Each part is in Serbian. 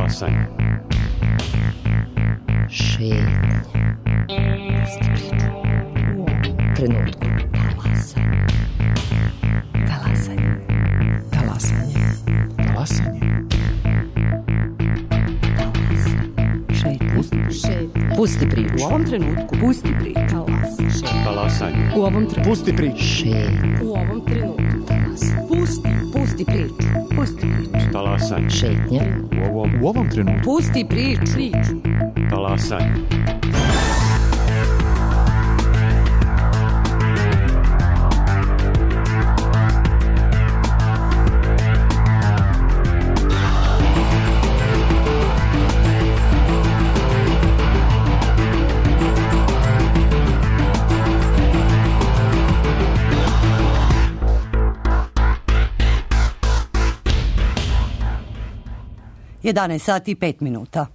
Talasanje. Šetnje. Pusti priču. U ovom trenutku. Talasanje. Talasanje. Talasanje. Talasanje. Šetnje. Pusti priču. U ovom trenutku. Pusti priču. Talasanje. U ovom trenutku. Pusti priču. Šetnje. U ovom trenutku. Pusti priču. Pusti priču. Talasanje. Šetnje. U ovom trenutku. Pusti priču. Talasanje. Jedanaest sati i 5 minuta.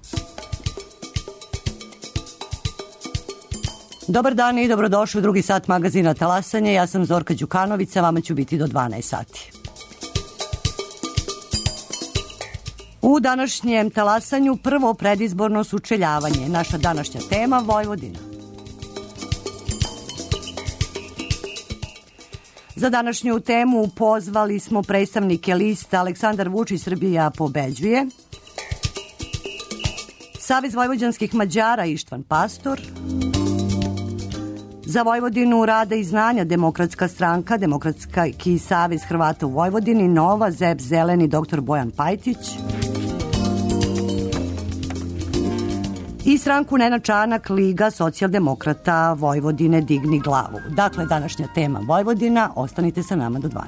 Dobar dan i dobrodošli u drugi sat magazina Talasanje. Ja sam Zorka Đukanović, a vama ću biti do 12 sati. U današnjem Talasanju prvo predizborno sučeljavanje. Naša današnja tema Vojvodina. Za današnju temu pozvali smo predstavnike lista Aleksandar Vučić Srbija pobeđuje, Savez vojvođanskih Mađara Ištvan Pastor, za Vojvodinu rada i znanja Demokratska stranka, Demokratski savez Hrvata u Vojvodini, Nova, ZEP Zeleni, dr. Bojan Pajtić i stranku Nenad Čanak, Liga socijaldemokrata Vojvodine Digni glavu. Dakle, današnja tema Vojvodina, ostanite sa nama do 12.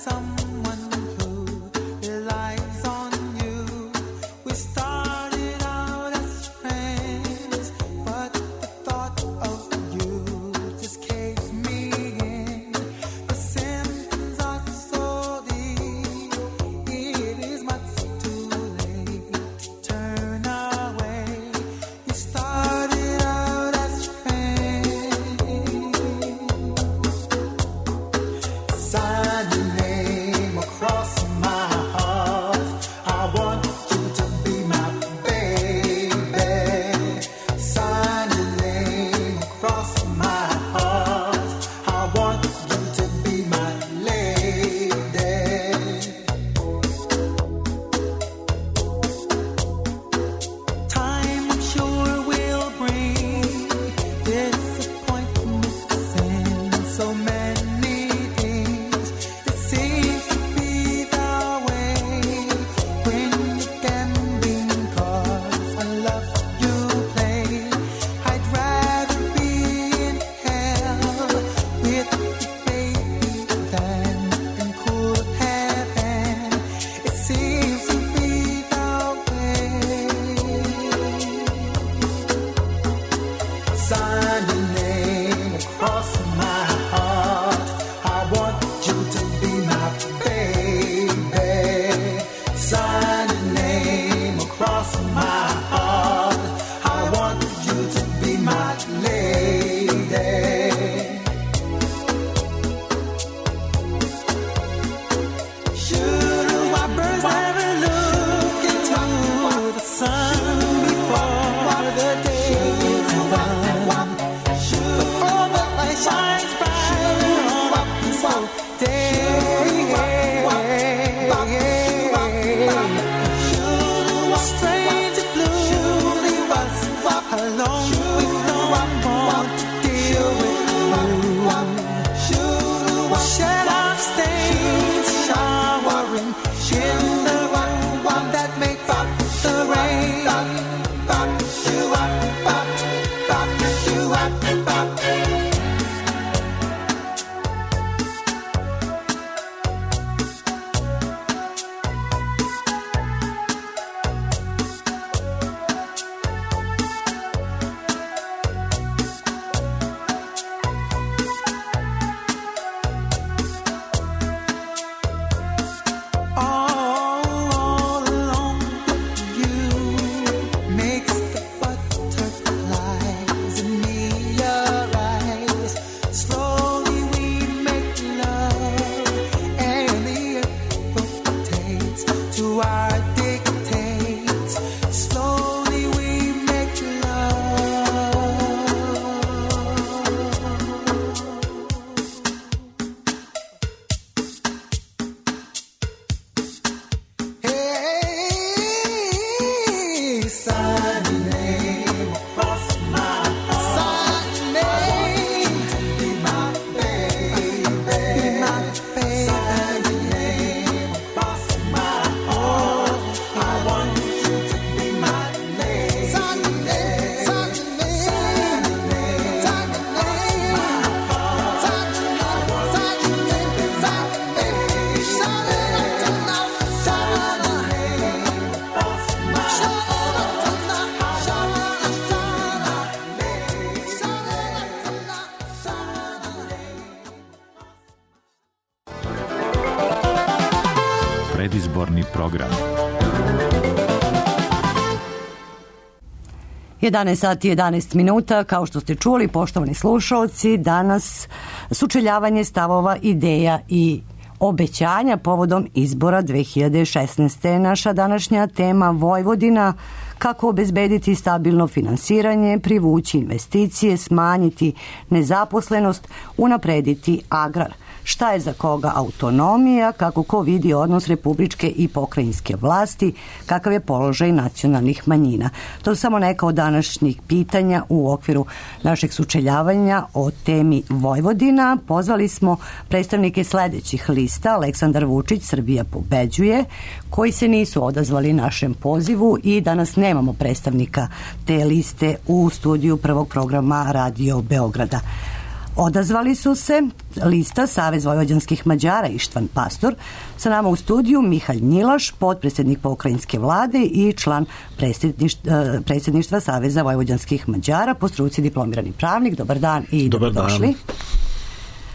Someone who relies on you. to our dictates. Slowly we make love. Hey, Sunday, cross my heart. Sunday, be my baby, be my baby. Sunday, cross my heart. I want you to be my lady. Sunday, Sunday, Sunday, my heart. Sunday, Predizborni program. 11 sati 11 minuta, kao što ste čuli, poštovani slušalci, danas sučeljavanje stavova, ideja i obećanja povodom izbora 2016. Naša današnja tema Vojvodina, kako obezbediti stabilno finansiranje, privući investicije, smanjiti nezaposlenost, unaprediti agrar. Šta je za koga autonomija, kako ko vidi odnos republičke i pokrajinske vlasti, kakav je položaj nacionalnih manjina. To su samo neka od današnjih pitanja u okviru našeg sučeljavanja o temi Vojvodina. Pozvali smo predstavnike sledećih lista: Aleksandar Vučić, Srbija pobeđuje, koji se nisu odazvali našem pozivu i danas nemamo predstavnika te liste u studiju prvog programa Radio Beograda. Odazvali su se lista Savez vojvođanskih Mađara Ištvan Pastor, sa nama u studiju Mihalj Njilaš, potpredsednik pokrajinske vlade i član predsjedništva Saveza vojvođanskih Mađara, po struci diplomirani pravnik. Dobar dan i dobrodošli.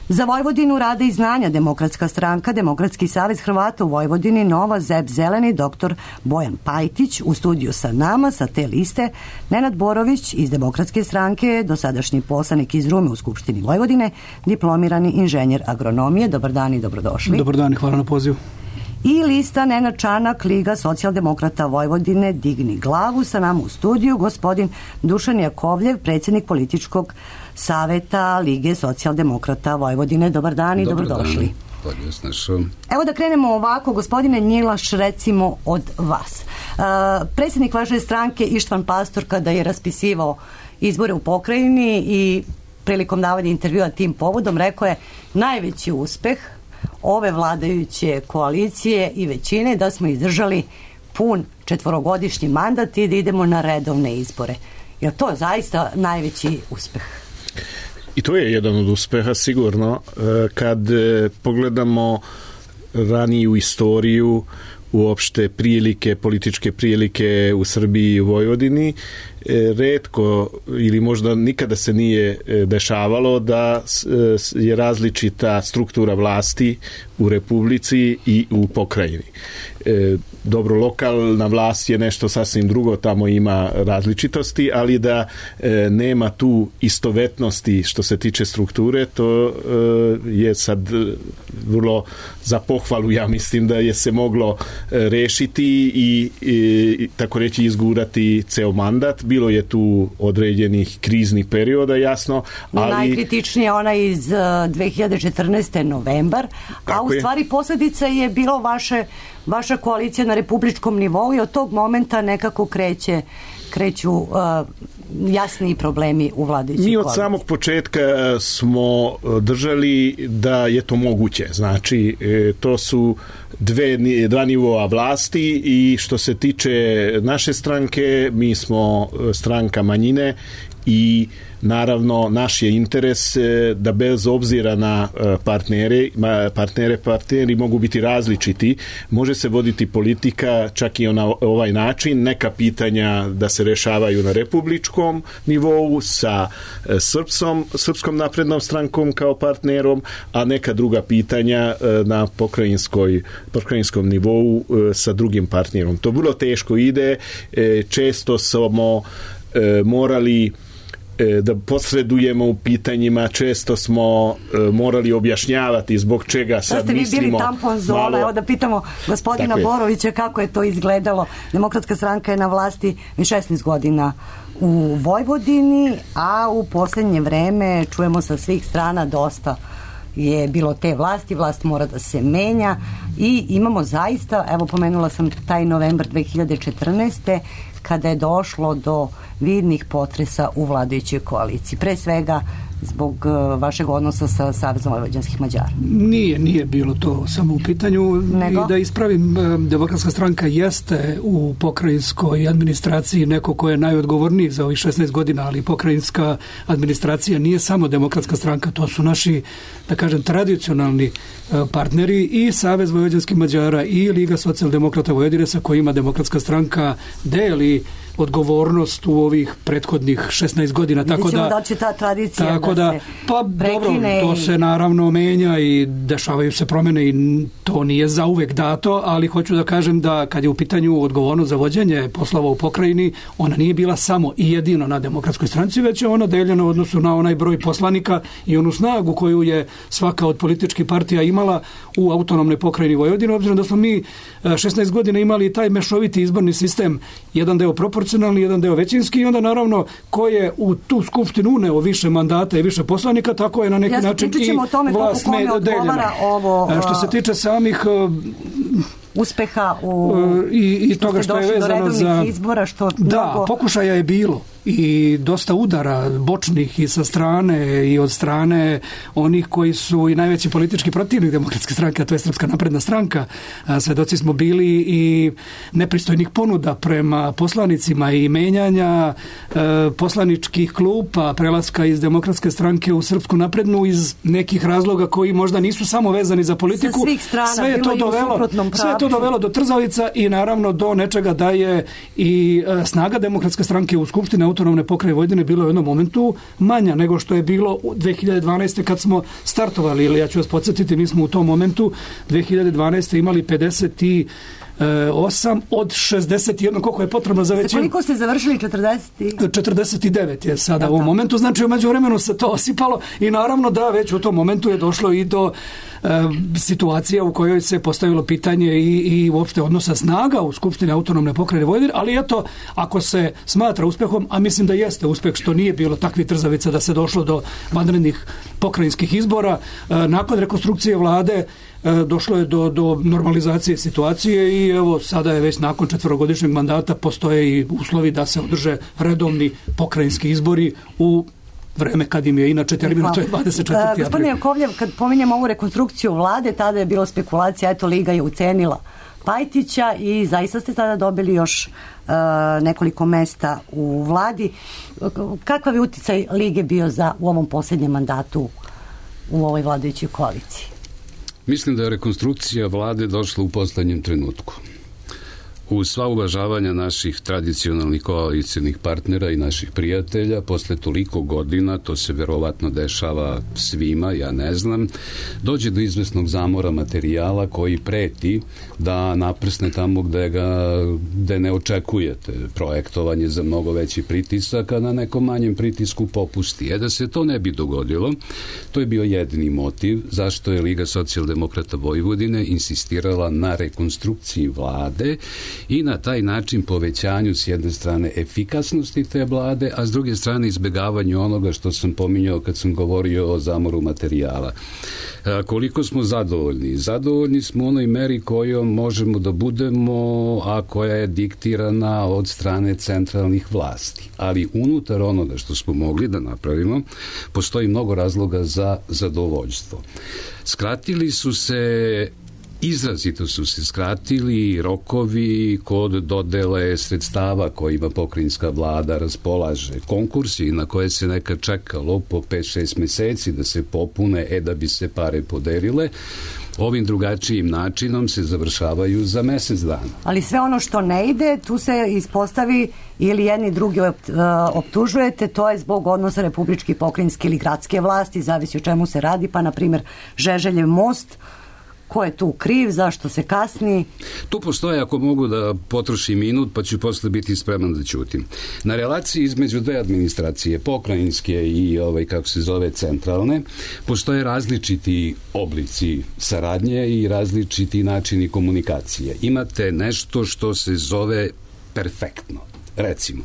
Za Vojvodinu rade i znanja Demokratska stranka, Demokratski savez Hrvata u Vojvodini, Nova, ZEP Zeleni, dr. Bojan Pajtić, u studiju sa nama, sa te liste, Nenad Borović iz Demokratske stranke, dosadašnji poslanik iz Rume u Skupštini Vojvodine, diplomirani inženjer agronomije. Dobar dan i dobrodošli. Dobar dan i hvala na pozivu. I lista Nenad Čanak, Liga socijaldemokrata Vojvodine, Digni glavu, sa nama u studiju gospodin Dušan Jakovljev, predsjednik političkog saveta Lige socijaldemokrata Vojvodine. Dobar dan i dobrodošli. Evo da krenemo ovako, gospodine Njilaš, recimo od vas. Predsjednik vaše stranke Ištvan Pastor, kada je raspisivao izbore u pokrajini i prilikom davanja intervjua tim povodom, rekao je najveći uspeh ove vladajuće koalicije i većine da smo izdržali pun 4-godišnji mandat i da idemo na redovne izbore. Je to zaista najveći uspeh? I to je jedan od uspeha sigurno. Kad pogledamo raniju istoriju, uopšte političke prilike u Srbiji i u Vojvodini, retko ili možda nikada se nije dešavalo da je različita struktura vlasti u Republici i u pokrajini. Dobro, lokalna vlast je nešto sasvim drugo, tamo ima različitosti, ali da nema tu istovetnosti što se tiče strukture, to je sad vrlo za pohvalu, ja mislim da je se moglo rešiti i tako reći izgurati ceo mandat. Bilo je tu određenih kriznih perioda, jasno, ali... Najkritičnije ona iz 2014. novembar, a u stvari posljedica je bilo vaša koalicija na republičkom nivou i od tog momenta nekako kreću jasniji problemi u vladajućoj koaliciji. Mi od samog početka smo držali da je to moguće. Znači, to su dva nivoa vlasti i što se tiče naše stranke, mi smo stranka manjine i naravno naš je interes da bez obzira na partneri mogu biti različiti, može se voditi politika čak i na ovaj način, neka pitanja da se rešavaju na republičkom nivou sa Srpskom naprednom strankom kao partnerom, a neka druga pitanja na pokrajinskom nivou sa drugim partnerom. To vrlo teško ide, često smo morali da posredujemo u pitanjima, često smo morali objašnjavati zbog čega sad mislimo. Da ste vi bili tampon zona, evo da pitamo gospodina Borovića kako je to izgledalo. Demokratska stranka je na vlasti 16 godina u Vojvodini, a u posljednje vreme čujemo sa svih strana dosta je bilo te vlasti, vlast mora da se menja i imamo zaista, evo pomenula sam taj novembar 2014. kada je došlo do vidnih potresa u vladajućoj koaliciji. Pre svega zbog vašeg odnosa sa Savezom vojvođanskih Mađara. Nije bilo to samo u pitanju. Nego? I da ispravim, Demokratska stranka jeste u pokrajinskoj administraciji neko ko je najodgovorniji za ovih 16 godina, ali pokrajinska administracija nije samo Demokratska stranka, to su naši, da kažem, tradicionalni partneri i Savez vojvođanskih Mađara i Liga socijaldemokrata Vojvodine sa kojima Demokratska stranka deli odgovornost u ovih prethodnih 16 godina. Tako da će ta tradicija tako da se prekine. Dobro, to se naravno menja i dešavaju se promene i to nije zauvek dato, ali hoću da kažem da kad je u pitanju odgovornost za vođenje poslova u pokrajini, ona nije bila samo i jedino na Demokratskoj stranci, već je ona deljena u odnosu na onaj broj poslanika i onu snagu koju je svaka od političkih partija imala u autonomnoj pokrajini Vojvodine, obzirom da smo mi 16 godina imali taj mešoviti izborni sistem, jedan deo proporcionalni, jedan deo većinski i onda naravno ko je u tu skupštinu uneo više mandata i više poslanika, tako je na neki način i vlast deljena. Što se tiče samih uspeha i toga što je vezano za izbora, pokušaja je bilo i dosta udara bočnih i sa strane i od strane onih koji su i najveći politički protivnik Demokratske stranke, a to je Srpska napredna stranka. Svedoci smo bili i nepristojnih ponuda prema poslanicima i menjanja poslaničkih klupa, prelaska iz Demokratske stranke u Srpsku naprednu iz nekih razloga koji možda nisu samo vezani za politiku. Sa svih strana, sve je to dovelo do trzavica i naravno do nečega da je i snaga Demokratske stranke u Skupštini autonomne pokrajine Vojvodine bilo u jednom momentu manja nego što je bilo u 2012. kad smo startovali, ili ja ću vas podsjetiti, mi smo u tom momentu 2012. imali 58 od 61, koliko je potrebno za većinu. Koliko ste završili? 49 je sada u ovom momentu, znači u međuvremenu se to osipalo i naravno da već u tom momentu je došlo i do situacija u kojoj se postavilo pitanje i uopšte odnosa snaga u Skupštini autonomne pokrajine Vojvodine, ali eto, ako se smatra uspehom, a mislim da jeste uspeh što nije bilo takvih trzavica da se došlo do vanrednih pokrajinskih izbora, nakon rekonstrukcije vlade došlo je do normalizacije situacije i evo sada je već nakon 4-godišnjeg mandata postoje i uslovi da se održe redovni pokrajinski izbori u vreme kad im je inače termin, to je 24. april. Gospodine Jakovljev, kad pominjemo ovu rekonstrukciju vlade, tada je bilo spekulacija, eto Liga je ucenila Pajtića i zaista ste tada dobili još nekoliko mesta u vladi. Kakav je uticaj Lige bio u ovom posljednjem mandatu u ovoj vladajućoj koaliciji? Mislim da je rekonstrukcija vlade došla u poslednjem trenutku. Uz sva uvažavanja naših tradicionalnih koalicijnih partnera i naših prijatelja, posle toliko godina, to se verovatno dešava svima, ja ne znam, dođe do izvesnog zamora materijala koji preti da naprsne tamo gde ne očekujete projektovanje za mnogo veći pritisak, a na nekom manjem pritisku popusti. Da se to ne bi dogodilo, to je bio jedini motiv zašto je Liga socijaldemokrata Vojvodine insistirala na rekonstrukciji vlade i na taj način povećanju s jedne strane efikasnosti te vlade, a s druge strane izbegavanju onoga što sam pominjao kad sam govorio o zamoru materijala. Koliko smo zadovoljni? Zadovoljni smo u onoj meri kojom možemo da budemo, a koja je diktirana od strane centralnih vlasti. Ali unutar onoga što smo mogli da napravimo, postoji mnogo razloga za zadovoljstvo. Izrazito su se skratili rokovi kod dodele sredstava kojima pokrajinska vlada raspolaže. Konkursi na koje se nekad čekalo po 5-6 meseci da se popune, da bi se pare podelile, ovim drugačijim načinom se završavaju za mesec dana. Ali sve ono što ne ide, tu se ispostavi ili jedni drugi optužujete, to je zbog odnosa republičke, pokrajinske ili gradske vlasti, zavisi o čemu se radi, pa na primjer Žeželjev most, Ko je tu kriv, zašto se kasni? Tu postoje, ako mogu da potrošim minut, pa ću posle biti spreman da ćutim. Na relaciji između dve administracije, pokrajinske i kako se zove centralne, postoje različiti oblici saradnje i različiti načini komunikacije. Imate nešto što se zove perfektno. Recimo,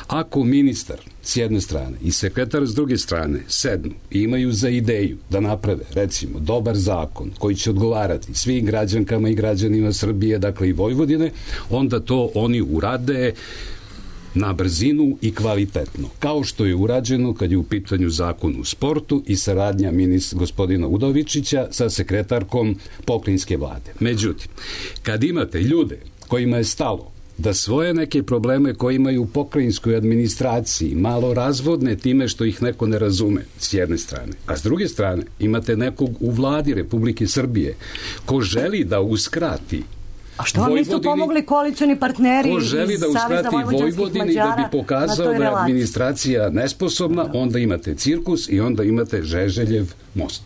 ako ministar s jedne strane i sekretar s druge strane sednu i imaju za ideju da naprave, recimo, dobar zakon koji će odgovarati svim građankama i građanima Srbije, dakle i Vojvodine, onda to oni urade na brzinu i kvalitetno. Kao što je urađeno kad je u pitanju zakon u sportu i saradnja gospodina Udovičića sa sekretarkom pokrajinske vlade. Međutim, kad imate ljude kojima je stalo da svoje neke probleme koje imaju u pokrajinskoj administraciji malo razvodne time što ih neko ne razume s jedne strane, a s druge strane imate nekog u vladi Republike Srbije ko želi da uskrati A što vam nisu pomogli koalicioni partneri ko želi da uskrati Vojvodini da bi pokazao da je administracija nesposobna, onda imate cirkus i onda imate Žeželjev most.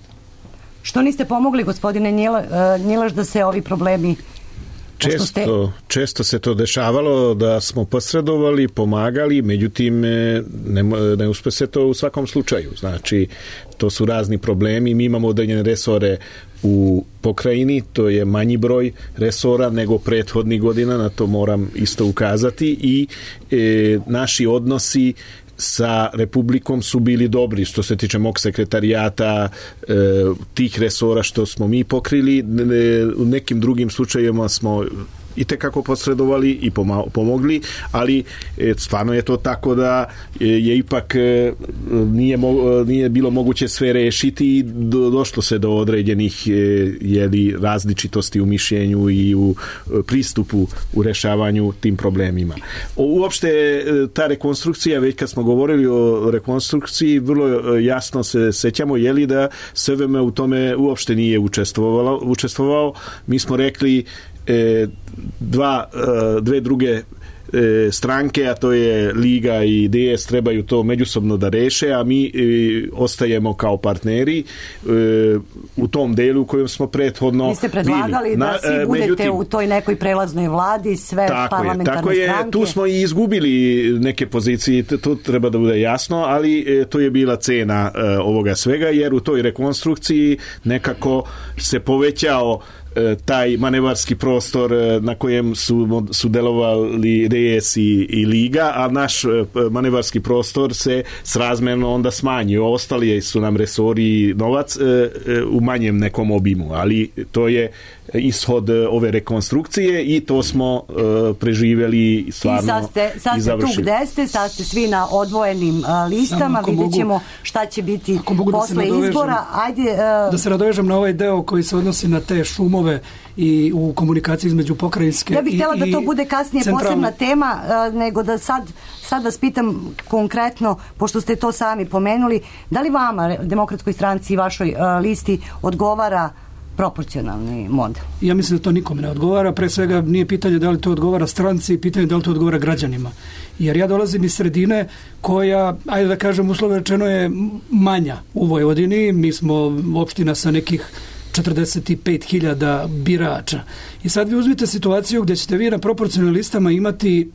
Što niste pomogli, gospodine Njilaš, da se ovi problemi... Često se to dešavalo da smo posredovali, pomagali, međutim ne uspe se to u svakom slučaju. Znači, to su razni problemi. Mi imamo određene resore u pokrajini, to je manji broj resora nego prethodnih godina, na to moram isto ukazati, i naši odnosi sa Republikom su bili dobri što se tiče mog sekretarijata, tih resora što smo mi pokrili. U nekim drugim slučajevima smo i tekako posredovali i pomogli, ali stvarno je to tako da je ipak nije bilo moguće sve rešiti i došlo se do određenih različitosti u mišljenju i u pristupu u rešavanju tim problemima. Uopšte ta rekonstrukcija, već kad smo govorili o rekonstrukciji, vrlo jasno se sećamo da SVM u tome uopšte nije učestvovao. Mi smo rekli dve druge stranke, a to je Liga i DS, trebaju to međusobno da reše, a mi ostajemo kao partneri u tom delu u kojem smo prethodno vi ste predlagali da svi budete u toj nekoj prelaznoj vladi, sve parlamentarne stranke. Tu smo i izgubili neke pozicije, to treba da bude jasno, ali to je bila cena ovoga svega, jer u toj rekonstrukciji nekako se povećao taj manevarski prostor na kojem su delovali DS i Liga, a naš manevarski prostor se srazmerno onda smanjio. Ostali su nam resori i novac u manjem nekom obimu, ali to je ishod ove rekonstrukcije i to smo preživjeli stvarno i sad ste tu gde ste, sad ste svi na odvojenim listama, vidjet ćemo šta će biti posle izbora. Da se nadovežem na ovaj deo koji se odnosi na te šumove i u komunikaciji između pokrajinske i ja bih htjela da to bude kasnije posebna tema, nego da sad vas pitam konkretno, pošto ste to sami pomenuli, da li vama, Demokratskoj stranci i vašoj listi, odgovara proporcionalni model? Ja mislim da to nikome ne odgovara. Pre svega nije pitanje da li to odgovara stranci, pitanje da li to odgovara građanima. Jer ja dolazim iz sredine koja, ajde da kažem, uslovno rečeno je manja u Vojvodini. Mi smo opština sa nekih 45.000 birača. I sad vi uzmite situaciju gdje ćete vi na proporcionalnim listama imati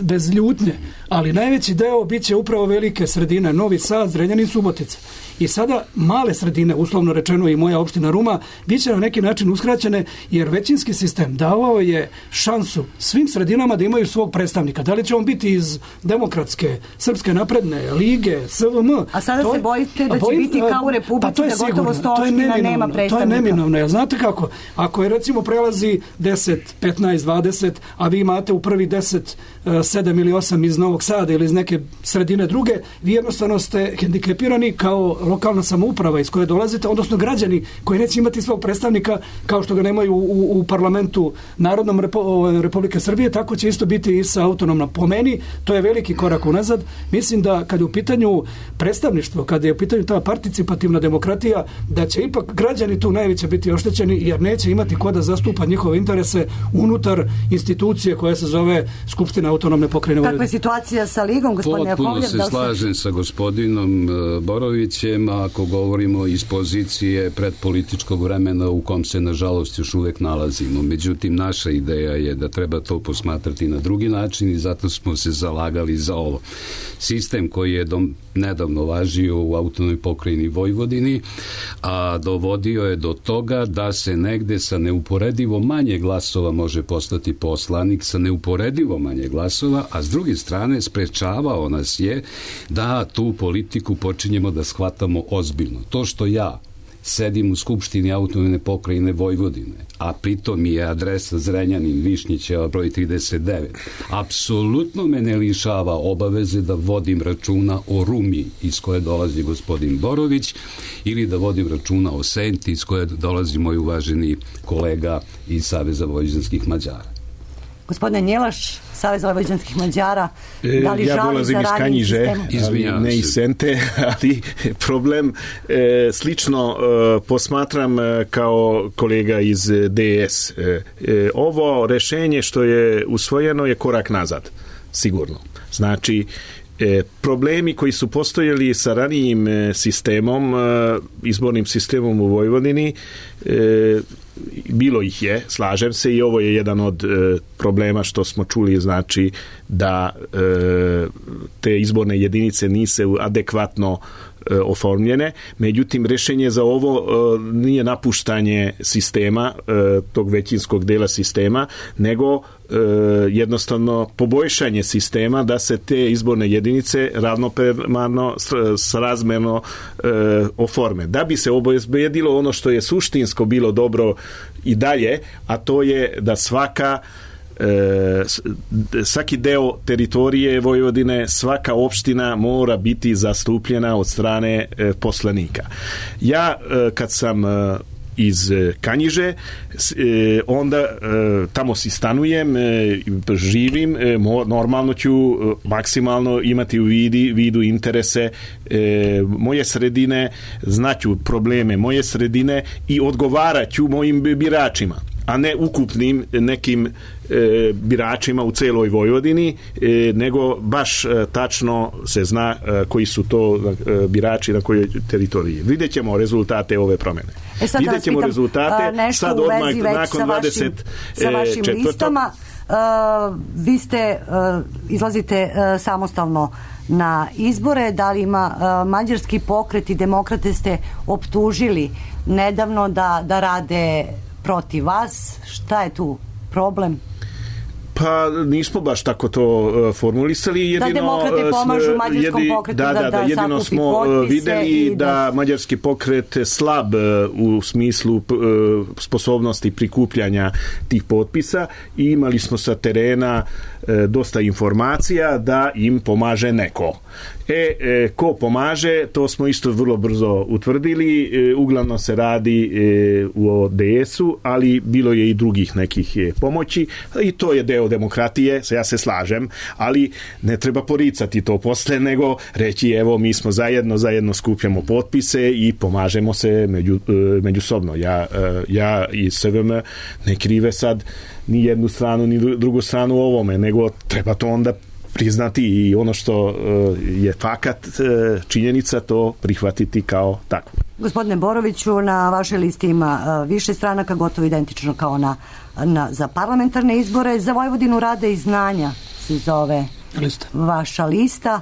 bez ljutnje, ali najveći deo bit će upravo velike sredine, Novi Sad, Zrenjanin, Subotica. I sada male sredine, uslovno rečeno i moja opština Ruma, bit će na neki način uskraćene, jer većinski sistem davao je šansu svim sredinama da imaju svog predstavnika. Da li će on biti iz Demokratske, Srpske napredne, Lige, SVM? A sada se bojite da će biti kao u Republici, da gotovo 100 opština nema predstavnika. To je neminovno, jer znate kako? Ako je recimo prelazi 10, 15, 20, a vi imate u prvi 10 7 ili 8 iz Novog Sada ili iz neke sredine druge, vi jednostavno ste hendikepirani kao lokalna samouprava iz koje dolazite, odnosno građani koji neće imati svog predstavnika kao što ga nemaju u parlamentu Narodnom Republike Srbije, tako će isto biti i sa autonomnom. Po meni, to je veliki korak unazad. Mislim da kad je u pitanju predstavništvo, kad je u pitanju ta participativna demokratija, da će ipak građani tu najviše biti oštećeni, jer neće imati ko da zastupa njihove interese unutar institucije koja se zove Skupština autonomne pokrajine Vojvodine. Kakva je situacija sa Ligom, gospodine Jakovljev? Potpuno se slažem sa gospodinom Borovićem. kažem, ako govorimo iz pozicije predpolitičkog vremena u kom se nažalost još uvek nalazimo. Međutim, naša ideja je da treba to posmatrati na drugi način i zato smo se zalagali za ovo. Sistem koji je nedavno važio u autonomnoj pokrajini Vojvodini, a dovodio je do toga da se negde sa neuporedivo manje glasova može postati poslanik, sa neuporedivo manje glasova, a s druge strane sprečavao nas je da tu politiku počinjemo da shvatamo ozbiljno. To što ja sedim u Skupštini autonomne pokrajine Vojvodine, a pritom mi je adresa Zrenjanin, Višnjićeva, broj 39, apsolutno me ne lišava obaveze da vodim računa o Rumi iz koje dolazi gospodin Borović ili da vodim računa o Senti iz koje dolazi moj uvaženi kolega iz Saveza vojvođanskih Mađara. Gospodine Njelaš, Savez vojvođanskih Mađara, da li ja žali dolazim za iz ranijim Kanjiže, sistemom? ne iz Sente, ali problem slično posmatram kao kolega iz DS. Ovo rešenje što je usvojeno je korak nazad, sigurno. Znači, problemi koji su postojali sa ranijim sistemom, izbornim sistemom u Vojvodini, bilo ih je, slažem se, i ovo je jedan od problema što smo čuli, znači da te izborne jedinice nisu adekvatno oformljene. Međutim, rešenje za ovo nije napuštanje sistema, tog većinskog dela sistema, nego jednostavno poboljšanje sistema da se te izborne jedinice ravnopravno srazmerno oforme. Da bi se obezbedilo ono što je suštinsko bilo dobro i dalje, a to je da svaki deo teritorije Vojvodine, svaka opština mora biti zastupljena od strane poslanika. Ja kad sam iz Kanjiže, onda tamo si stanujem, živim, normalno ću maksimalno imati u vidu interese moje sredine, znaću probleme moje sredine i odgovaraću mojim biračima, a ne ukupnim nekim biračima u celoj Vojvodini, nego baš tačno se zna koji su to birači na kojoj teritoriji. Vidjet ćemo rezultate ove promene. Vidjet ćemo rezultate sad odmah nakon 20. Sa vašim listama. Vi izlazite samostalno na izbore. Da li ima mađarski pokret i demokrate ste optužili nedavno da rade protiv vas? Šta je tu problem? Pa nismo baš tako to formulisali. Da demokrate pomažu mađarskom pokretu da jedino smo videli da mađarski pokret slab u smislu sposobnosti prikupljanja tih potpisa i imali smo sa terena dosta informacija da im pomaže neko. Ko pomaže, to smo isto vrlo brzo utvrdili. Uglavnom se radi u ODS-u, ali bilo je i drugih nekih pomoći i to je deo demokratije, ja se slažem, ali ne treba poricati to posle, nego reći evo mi smo zajedno skupljamo potpise i pomažemo se međusobno. Ja i SVM ne krive sad ni jednu stranu ni drugu stranu u ovome, nego treba to onda priznati i ono što je fakat činjenica, to prihvatiti kao takvo. Gospodine Boroviću, na vašoj listi ima više stranaka, gotovo identično kao za parlamentarne izbore. Za Vojvodinu rada i znanja se zove vaša lista.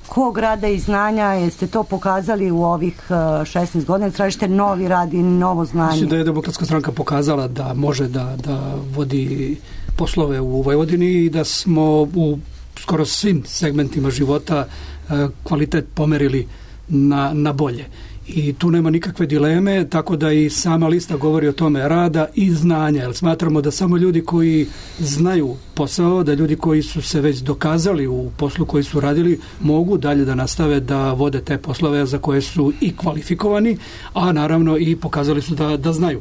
Kog rada i znanja jeste to pokazali u ovih 16 godina? Tražite novi rad i novo znanje? Mislim da je Demokratska stranka pokazala da može da vodi poslove u Vojvodini i da smo u skoro svim segmentima života kvalitet pomerili na bolje. I tu nema nikakve dileme, tako da i sama lista govori o tome rada i znanja, jer smatramo da samo ljudi koji znaju posao, da ljudi koji su se već dokazali u poslu koji su radili, mogu dalje da nastave da vode te poslove za koje su i kvalifikovani, a naravno i pokazali su da znaju.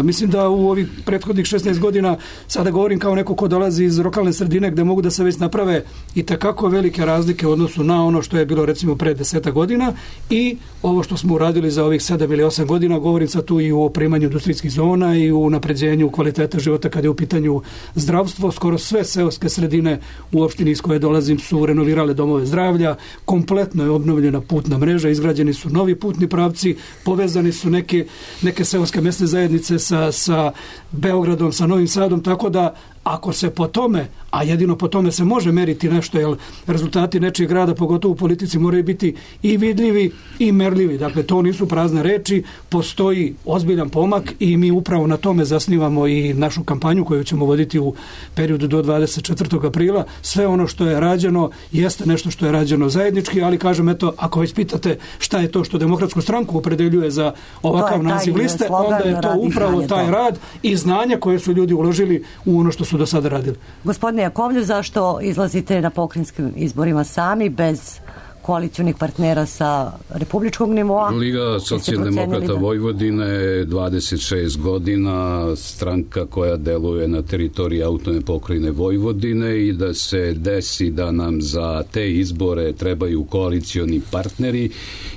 Mislim da u ovih prethodnih 16 godina, sada govorim kao neko ko dolazi iz lokalne sredine gde mogu da se već naprave i takako velike razlike u odnosu na ono što je bilo recimo pre 10 godina i ovo što smo uradili za ovih 7 ili 8 godina, govorim sad tu i o opremanju industrijskih zona i u napređenju kvaliteta života kada je u pitanju zdravstvo, skoro sve sve seoske sredine u opštini iz koje dolazim su renovirale domove zdravlja, kompletno je obnovljena putna mreža, izgrađeni su novi putni pravci, povezani su neke seoske mesne zajednice sa Beogradom, sa Novim Sadom, tako da ako se po tome, a jedino po tome se može meriti nešto, jer rezultati nečijeg rada, pogotovo u politici, moraju biti i vidljivi i merljivi. Dakle, to nisu prazne reči, postoji ozbiljan pomak i mi upravo na tome zasnivamo i našu kampanju koju ćemo voditi u periodu do 24. aprila. Sve ono što je rađeno jeste nešto što je rađeno zajednički, ali kažem, eto, ako već pitate šta je to što Demokratsku stranku opredeljuje za ovakav naziv liste, onda je to upravo taj rad i znanja koje su ljudi uložili u ono što su do sada radili. Gospodine Jakovljev, zašto izlazite na pokrajinskim izborima sami, bez koalicionih partnera sa republičkog nivoa? Liga socijaldemokrata Vojvodine, 26 godina, stranka koja deluje na teritoriji autonomne pokrajine Vojvodine, i da se desi da nam za te izbore trebaju koalicioni partneri,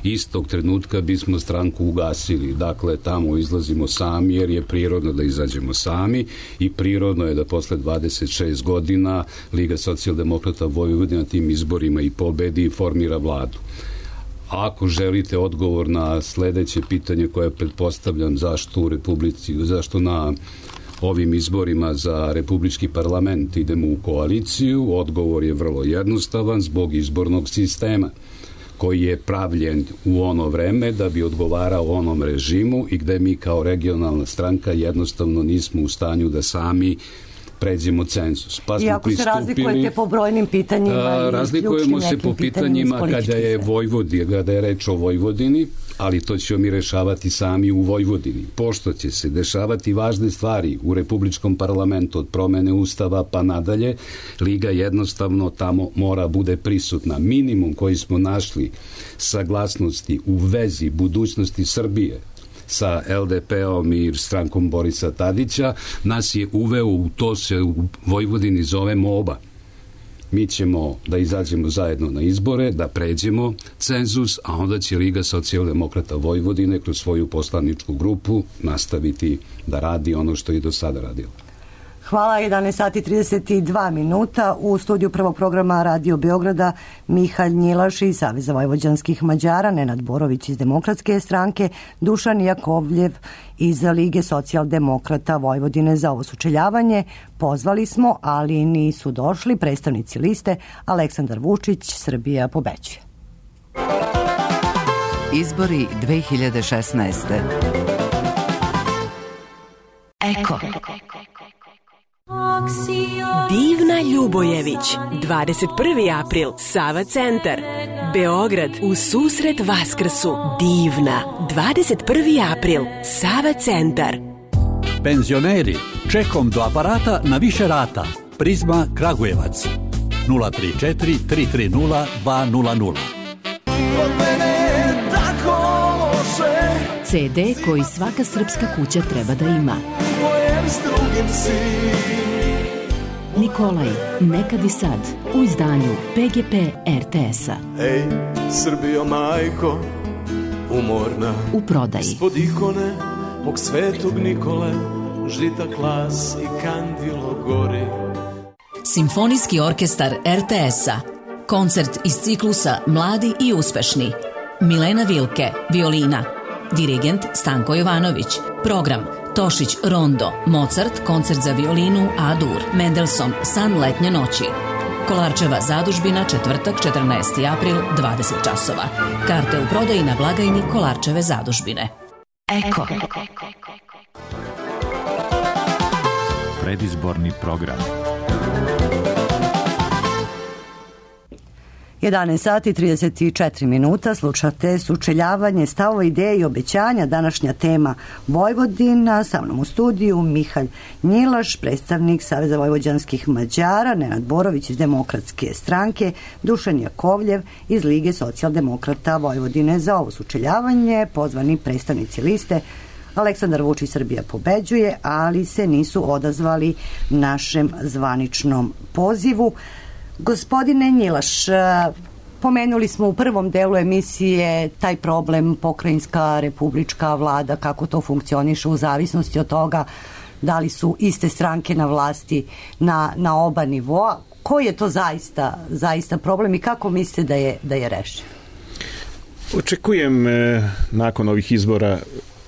istog trenutka bismo stranku ugasili. Dakle, tamo izlazimo sami, jer je prirodno da izađemo sami i prirodno je da posle 26 godina Liga socijaldemokrata Vojvodine na tim izborima i pobedi i formira vladu. Ako želite odgovor na sledeće pitanje koje pretpostavljam zašto na ovim izborima za republički parlament idemo u koaliciju, odgovor je vrlo jednostavan, zbog izbornog sistema koji je pravljen u ono vreme da bi odgovarao onom režimu i gde mi kao regionalna stranka jednostavno nismo u stanju da sami pređemo cenzus. Pa i ako se razlikujete po brojnim pitanjima, razlikujemo se po pitanjima kada je reč o Vojvodini, ali to ćemo mi rešavati sami u Vojvodini. Pošto će se dešavati važne stvari u republičkom parlamentu, od promene ustava pa nadalje, Liga jednostavno tamo mora bude prisutna. Minimum koji smo našli saglasnosti u vezi budućnosti Srbije sa LDP-om i strankom Borisa Tadića, nas je uveo u to, se u Vojvodini zove MOBA. Mi ćemo da izađemo zajedno na izbore, da pređemo cenzus, a onda će Liga socijaldemokrata Vojvodine kroz svoju poslaničku grupu nastaviti da radi ono što je do sada radilo. Hvala, 11 sati 32 minuta. U studiju prvog programa Radio Beograda Mihalj Njilaš iz Saveza vojvođanskih Mađara, Nenad Borović iz Demokratske stranke, Dušan Jakovljev iz Lige socijaldemokrata Vojvodine za ovo sučeljavanje. Pozvali smo, ali nisu došli predstavnici liste Aleksandar Vučić, Srbija pobeđuje. Izbori 2016. Eko. Divna Ljubojević, 21. april, Sava centar, Beograd, u susret Vaskrsu. Divna, 21. april, Sava centar. Penzioneri, čekom do aparata na više rata. Prizma Kragujevac, 034 330 200. CD koji svaka srpska kuća treba da ima. Nikolaj, nekad i sad, u izdanju PGP RTS-a. Ej, Srbijo majko, umorna, u prodaji. Ispod ikone mog svetog Nikole, žita klas i kandilo gori. Simfonijski orkestar RTS-a. Koncert iz ciklusa Mladi i uspešni. Milena Vilke, violina. Dirigent Stanko Jovanović. Program Tošić Rondo, Mozart, koncert za violinu A-dur, Mendelssohn, San letnje noći. Kolarčeva zadužbina, četvrtak, 14. april, 20 časova. Karte u prodaji na blagajni Kolarčeve zadužbine. Eko. Predizborni program. 11 sati 34 minuta, slušate sučeljavanje stavova, ideje i obećanja. Današnja tema Vojvodina. Sa mnom u studiju Mihalj Njilaš, predstavnik Saveza vojvođanskih Mađara, Nenad Borović iz Demokratske stranke, Dušan Jakovljev iz Lige socijaldemokrata Vojvodine za ovo sučeljavanje, pozvani predstavnici liste Aleksandar Vučić, Srbija pobeđuje, ali se nisu odazvali našem zvaničnom pozivu. Gospodine Njilaš, pomenuli smo u prvom delu emisije taj problem pokrajinska, republička vlada, kako to funkcioniše u zavisnosti od toga da li su iste stranke na vlasti na oba nivoa. Koji je to zaista problem i kako mislite da je rešiv? Očekujem nakon ovih izbora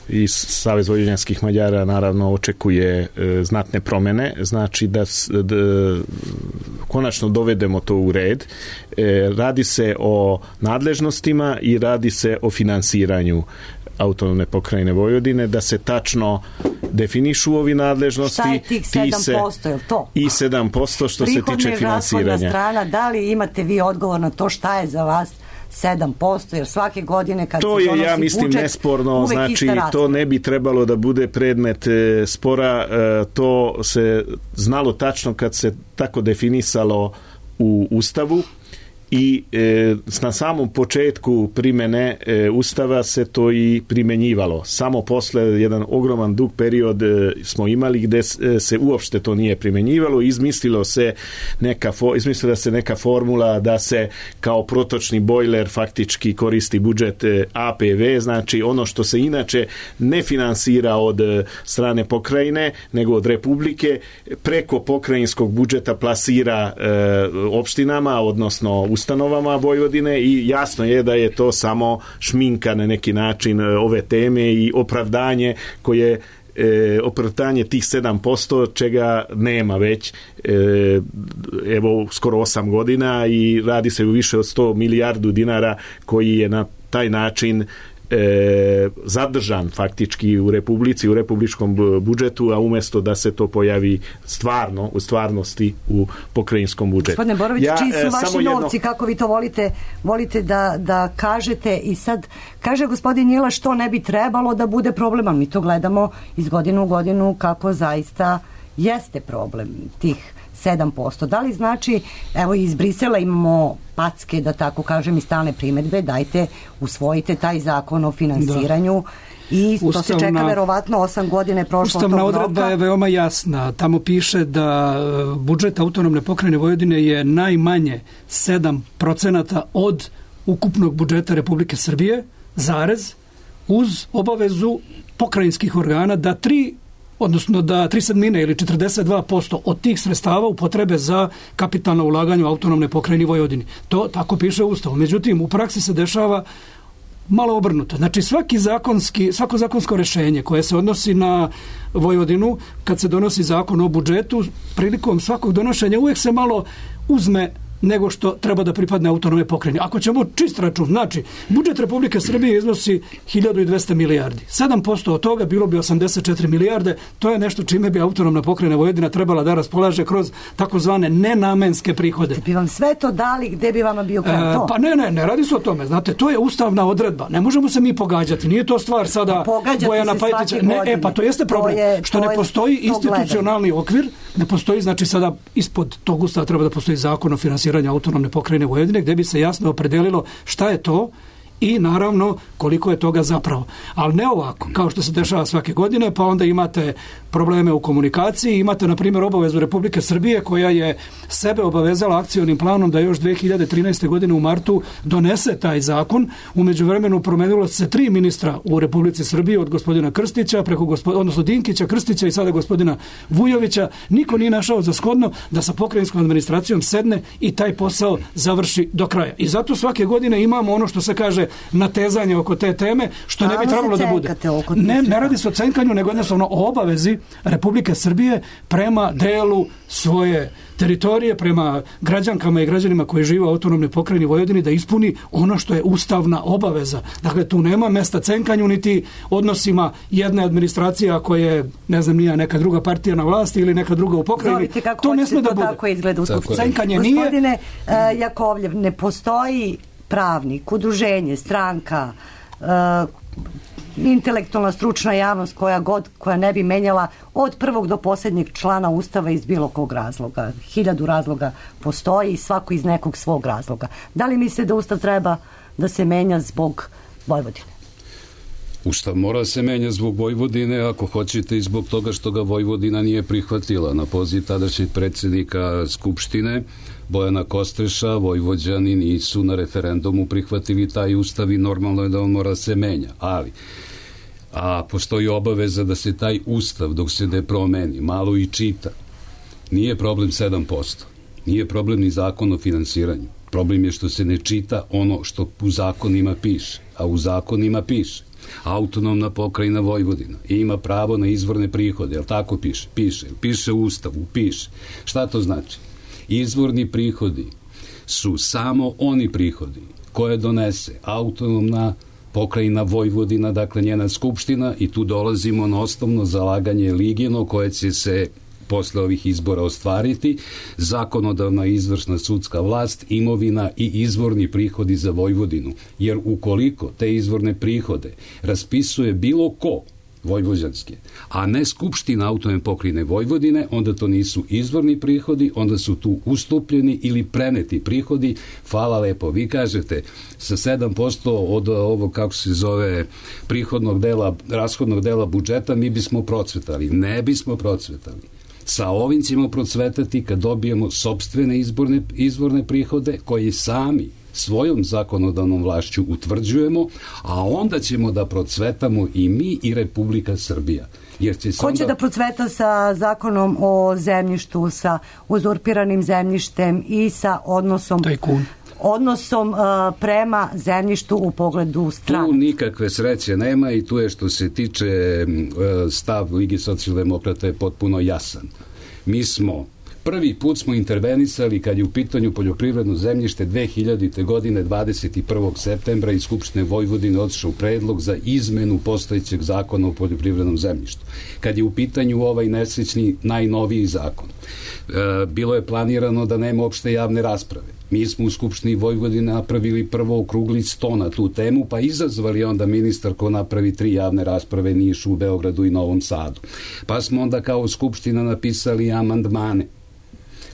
i Savez vojvođanskih Mađara naravno očekuje znatne promene, znači da konačno dovedemo to u red. Radi se o nadležnostima i radi se o finansiranju autonomne pokrajine Vojvodine, da se tačno definišu ovi nadležnosti. Šta je tih 7%, je li to? I 7% što se tiče finansiranja. Strana, da li imate vi odgovor na to šta je za vas 7%, jer svake godine kad to se je, donosi ja mislim, budžet, nesporno, znači to ne bi trebalo da bude predmet spora, to se znalo tačno kad se tako definisalo u Ustavu i na samom početku primene Ustava se to i primenjivalo. Samo posle jedan ogroman dug period smo imali gde se uopšte to nije primenjivalo. Izmislila se neka formula da se kao protočni bojler faktički koristi budžet APV, znači ono što se inače ne finansira od strane pokrajine, nego od Republike, preko pokrajinskog budžeta plasira opštinama, odnosno ustanovama Vojvodine, i jasno je da je to samo šminka na neki način ove teme i opravdanje tih 7%, čega nema već evo skoro 8 godina i radi se u više od 100 milijardu dinara koji je na taj način zadržan faktički u Republici, u republičkom budžetu, a umjesto da se to pojavi u stvarnosti u pokrajinskom budžetu. Gospodine Borović, čiji su vaši novci, kako vi to volite da kažete, i sad kaže gospodin Njila što ne bi trebalo da bude problem, ali mi to gledamo iz godinu u godinu kako zaista jeste problem tih 7%. Da li znači, evo iz Brisela imamo packe, da tako kažem, i stalne primedbe, dajte, usvojite taj zakon o finansiranju i to se čeka verovatno 8 godina je prošlo tog roka. Ustavna odredba je veoma jasna. Tamo piše da budžet autonomne pokrajine Vojvodine je najmanje 7% od ukupnog budžeta Republike Srbije, uz obavezu pokrajinskih organa da 3/7 ili 42% od tih sredstava upotrebe za kapitalno ulaganje u autonomne pokrajine Vojvodine. To tako piše u Ustavu. Međutim, u praksi se dešava malo obrnuto. Znači, svako zakonsko rešenje koje se odnosi na Vojvodinu, kad se donosi zakon o budžetu, prilikom svakog donošenja uvijek se malo uzme nego što treba da pripadne autonomne pokrajine. Ako ćemo čist račun, znači, budžet Republike Srbije iznosi 1200 milijardi. 7% od toga bilo bi 84 milijarde, to je nešto čime bi autonomna pokrajina Vojvodina trebala da raspolaže kroz takozvane nenamenske prihode. Bi vam sve to dali, gde bi vama bio kraj to? Pa ne radi se o tome, znate, to je ustavna odredba. Ne možemo se mi pogađati, nije to stvar sada Bojana Pajtića. Pa to jeste problem, što ne postoji institucionalni okvir, ne postoji, znači sada ispod tog ustava treba da postoji zakon o finansiranju autonomne pokrajine Vojvodine, gdje bi se jasno opredelilo šta je to i naravno koliko je toga zapravo. Ali ne ovako, kao što se dešava svake godine, pa onda imate probleme u komunikaciji, imate na primjer obavezu Republike Srbije koja je sebe obavezala akcionim planom da još 2013. godine u martu donese taj zakon. U međuvremenu promenilo se 3 ministra u Republici Srbiji, od gospodina Krstića, odnosno Dinkića, Krstića i sada gospodina Vujovića. Niko nije našao za shodno da sa pokrajinskom administracijom sedne i taj posao završi do kraja. I zato svake godine imamo ono što se kaže natezanje oko te teme, što ne bi trebalo da bude. Ne radi se o cenkanju, nego jednostavno o obavezi Republike Srbije prema delu svoje teritorije, prema građankama i građanima koji žive u autonomnoj pokrajini Vojvodini, da ispuni ono što je ustavna obaveza. Dakle, tu nema mesta cenkanju niti odnosima jedne administracije ako je, ne znam, nije neka druga partija na vlasti ili neka druga u pokrajini. To ne sme da bude. Tako izgleda u Skupštini. Cenkanje nije. Gospodine Jakovljev, ne postoji pravnik, udruženje, stranka, intelektualna stručna javnost koja ne bi menjala od prvog do posljednjeg člana Ustava iz bilo kog razloga. 1000 razloga postoji, svako iz nekog svog razloga. Da li mislite da Ustav treba da se menja zbog Vojvodine? Ustav mora se menja zbog Vojvodine, ako hoćete, i zbog toga što ga Vojvodina nije prihvatila. Na poziv tadašnjeg predsjednika Skupštine Bojana Kostreša, Vojvođani nisu na referendumu prihvatili taj Ustav i normalno je da on mora se menja. Ali a postoji obaveza da se taj ustav, dok se ne promeni, malo i čita. Nije problem 7%. Nije problem ni zakon o finansiranju. Problem je što se ne čita ono što u zakonima piše. A u zakonima piše: autonomna pokrajina Vojvodina ima pravo na izvorne prihode. Jel tako piše? Piše u ustavu, piše. Šta to znači? Izvorni prihodi su samo oni prihodi koje donese autonomna pokrajina Vojvodina, dakle njena skupština, i tu dolazimo na osnovno zalaganje Ligino koje će se posle ovih izbora ostvariti: zakonodavna, izvršna, sudska vlast, imovina i izvorni prihodi za Vojvodinu. Jer ukoliko te izvorne prihode raspisuje bilo ko vojvođanske, a ne Skupština autonomne pokrajine Vojvodine, onda to nisu izvorni prihodi, onda su tu ustupljeni ili preneti prihodi. Hvala lepo. Vi kažete sa 7% od ovog, kako se zove, prihodnog dela, rashodnog dela budžeta mi bismo procvetali. Ne bismo procvetali. Sa ovim ćemo procvetati kad dobijemo sopstvene izvorne prihode koje sami svojom zakonodavnom vlašću utvrđujemo, a onda ćemo da procvetamo i mi i Republika Srbija. Jer će Ko će da procveta sa zakonom o zemljištu, sa uzurpiranim zemljištem i sa odnosom prema zemljištu u pogledu stranaca? Tu nikakve sreće nema i tu je, što se tiče stav Ligi socijaldemokrata, je potpuno jasan. Mi smo prvi put smo intervenisali kad je u pitanju poljoprivredno zemljište 2000. godine 21. septembra iz Skupštine Vojvodine otišao predlog za izmenu postojećeg zakona o poljoprivrednom zemljištu. Kad je u pitanju ovaj nesrećni najnoviji zakon, bilo je planirano da nema opšte javne rasprave. Mi smo u Skupštini Vojvodine napravili prvo okrugli sto na tu temu, pa izazvali onda ministar ko napravi 3 javne rasprave Nišu, u Beogradu i Novom Sadu. Pa smo onda kao Skupština napisali amandmane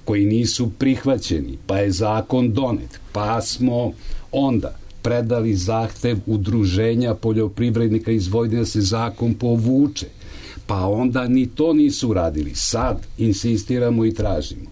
koji nisu prihvaćeni, pa je zakon donet, pa smo onda predali zahtev udruženja poljoprivrednika iz Vojvodine da se zakon povuče, pa onda ni to nisu uradili. Sad insistiramo i tražimo,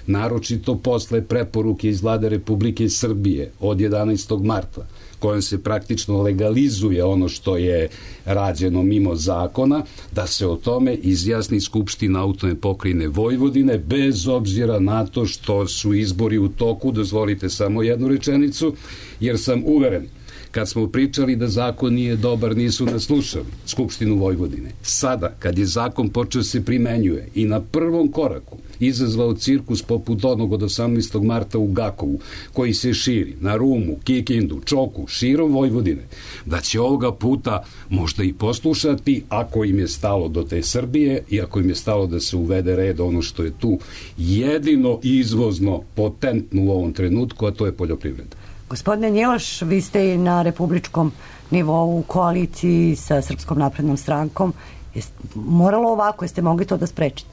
naročito posle preporuke iz Vlade Republike Srbije od 11. marta, kojom se praktično legalizuje ono što je rađeno mimo zakona, da se o tome izjasni Skupština autonomne pokrajine Vojvodine, bez obzira na to što su izbori u toku. Dozvolite samo jednu rečenicu, jer sam uveren, kad smo pričali da zakon nije dobar, nisu nas slušali Skupštinu Vojvodine. Sada, kad je zakon počeo se primenjuje i na prvom koraku izazvao cirkus poput onog od 18. marta u Gakovu, koji se širi na Rumu, Kikindu, Čoku, širom Vojvodine, da će ovoga puta možda i poslušati, ako im je stalo do te Srbije i ako im je stalo da se uvede red, ono što je tu jedino izvozno potentno u ovom trenutku, a to je poljoprivreda. Gospodine Njilaš, vi ste i na republičkom nivou u koaliciji sa Srpskom naprednom strankom. Moralo ovako, jeste mogli to da sprečite?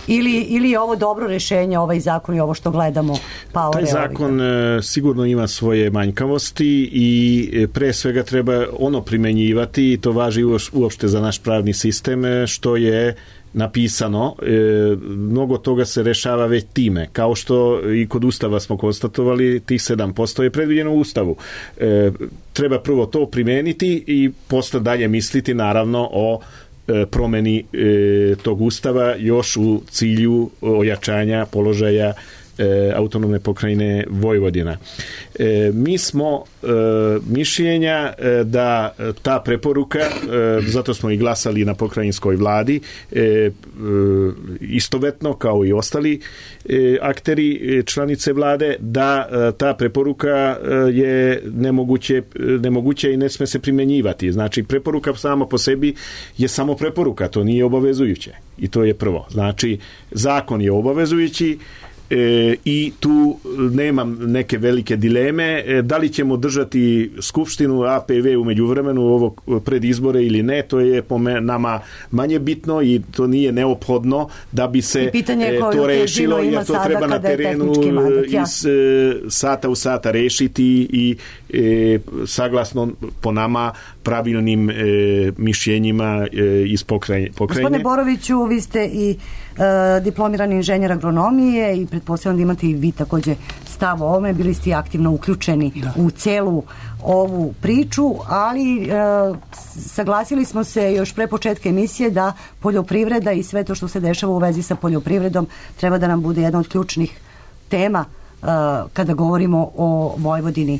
Ili je ovo dobro rešenje, ovaj zakon i ovo što gledamo? Taj zakon sigurno ima svoje manjkavosti i pre svega treba ono primenjivati, i to važi uopšte za naš pravni sistem, što je napisano. Mnogo toga se rešava već time, kao što i kod Ustava smo konstatovali, tih 7% je predviđeno u Ustavu. Treba prvo to primeniti i posle dalje misliti naravno o promeni tog Ustava, još u cilju ojačanja položaja autonomne pokrajine Vojvodina. Mi smo mišljenja da ta preporuka, zato smo i glasali na pokrajinskoj vladi, istovetno kao i ostali akteri, članice vlade, da ta preporuka je nemoguća i ne sme se primenjivati. Znači, preporuka sama po sebi je samo preporuka, to nije obavezujuće. I to je prvo. Znači, zakon je obavezujući, i tu nemam neke velike dileme. Da li ćemo držati Skupštinu APV u međuvremenu ovog pred izbore ili ne, to je po nama manje bitno i to nije neophodno da bi se to rešilo, jer to treba na terenu iz sata u sata rešiti i saglasno po nama pravilnim mišljenjima iz pokrajine. Gospodine Boroviću, vi ste i diplomirani inženjer agronomije i pretpostavljam da imate i vi takođe stav o ovome, bili ste aktivno uključeni u celu ovu priču, ali saglasili smo se još pre početka emisije da poljoprivreda i sve to što se dešava u vezi sa poljoprivredom treba da nam bude jedna od ključnih tema kada govorimo o Vojvodini.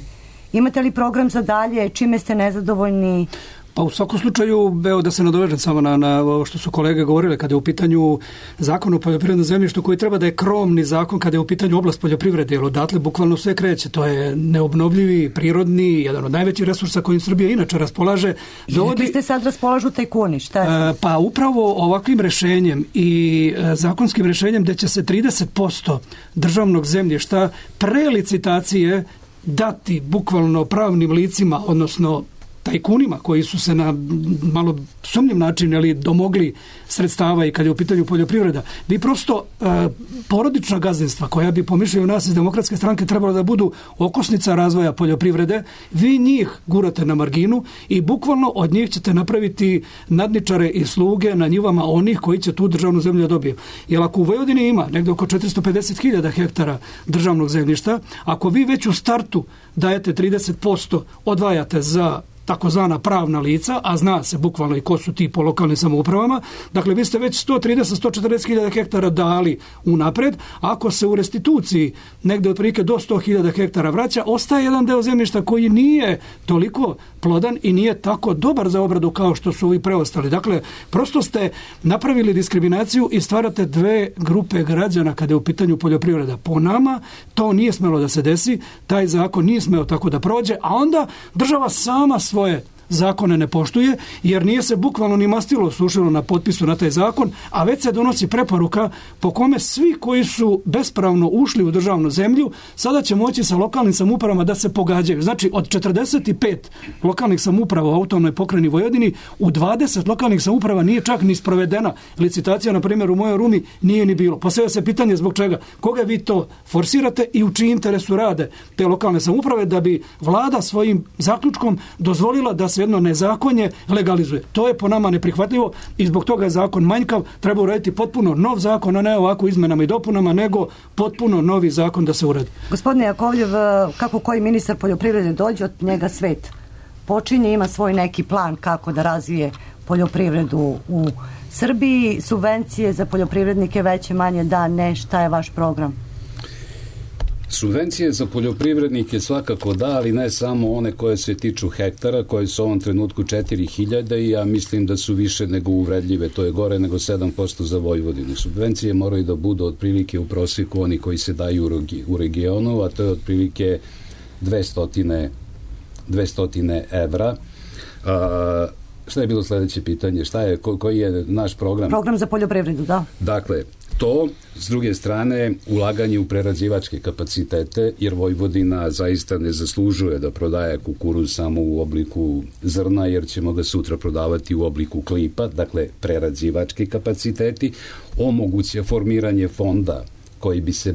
Imate li program za dalje? Čime ste nezadovoljni? Pa u svakom slučaju, evo da se nadovežem samo na ovo što su kolege govorile, kada je u pitanju zakon o poljoprivrednom zemljištu koji treba da je krovni zakon kada je u pitanju oblast poljoprivrede, jer odatle bukvalno sve kreće. To je neobnovljivi, prirodni, jedan od najvećih resursa kojim Srbija inače raspolaže. Rekli ste sad raspolažu tajkuni, šta je? Pa upravo ovakvim rešenjem i zakonskim rešenjem gde će se 30% državnog zemljišta pre licitacije dati bukvalno pravnim licima, odnosno tajkunima koji su se na malo sumnjiv način domogli sredstava i kad je u pitanju poljoprivreda. Vi prosto porodična gazdinstva koja bi po mišljenju nas iz Demokratske stranke trebala da budu okosnica razvoja poljoprivrede, vi njih gurate na marginu i bukvalno od njih ćete napraviti nadničare i sluge na njivama onih koji će tu državnu zemlju dobiju. Jer ako u Vojvodini ima negdje oko 450.000 hektara državnog zemljišta, ako vi već u startu dajete 30%, odvajate za takozvana pravna lica, a zna se bukvalno i ko su ti po lokalnim samoupravama. Dakle, vi ste već 130-140.000 hektara dali unapred. Ako se u restituciji negde otprilike do 100.000 hektara vraća, ostaje jedan deo zemljišta koji nije toliko plodan i nije tako dobar za obradu kao što su ovi preostali. Dakle, prosto ste napravili diskriminaciju i stvarate dve grupe građana kada je u pitanju poljoprivreda. Po nama to nije smelo da se desi, taj zakon nije smeo tako da prođe, a onda država sama svoje zakone ne poštuje, jer nije se bukvalno ni mastilo sušilo na potpisu na taj zakon, a već se donosi preporuka po kome svi koji su bespravno ušli u državnu zemlju sada će moći sa lokalnim samoupravama da se pogađaju. Znači, od 45 lokalnih samouprava u autonomnoj pokrajini Vojvodini, u 20 lokalnih samouprava nije čak ni sprovedena licitacija, na primjer u mojoj Rumi nije ni bilo. Postavlja se pitanje zbog čega. Koga vi to forsirate i u čiji interesu rade te lokalne samouprave da bi vlada svojim zaključkom dozvolila da se jedno nezakonje legalizuje. To je po nama neprihvatljivo i zbog toga je zakon manjkav. Treba uraditi potpuno nov zakon, a ne ovako izmenama i dopunama, nego potpuno novi zakon da se uradi. Gospodine Jakovljev, kako koji ministar poljoprivrede dođe, od njega svet počinje, ima svoj neki plan kako da razvije poljoprivredu u Srbiji. Subvencije za poljoprivrednike veće, manje, da, ne, šta je vaš program? Subvencije za poljoprivrednike svakako da, ali ne samo one koje se tiču hektara, koje su u ovom trenutku 4.000 i ja mislim da su više nego uvredljive, to je gore nego 7% za Vojvodinu. Subvencije moraju da budu otprilike u prosjeku oni koji se daju u regionu, a to je otprilike 200 evra. Šta je bilo sledeće pitanje? Koji je naš program? Program za poljoprivredu, da. Dakle, to, s druge strane, ulaganje u prerađivačke kapacitete, jer Vojvodina zaista ne zaslužuje da prodaje kukuruz samo u obliku zrna, jer ćemo ga sutra prodavati u obliku klipa, dakle, prerađivački kapaciteti, omoguće formiranje fonda koji bi se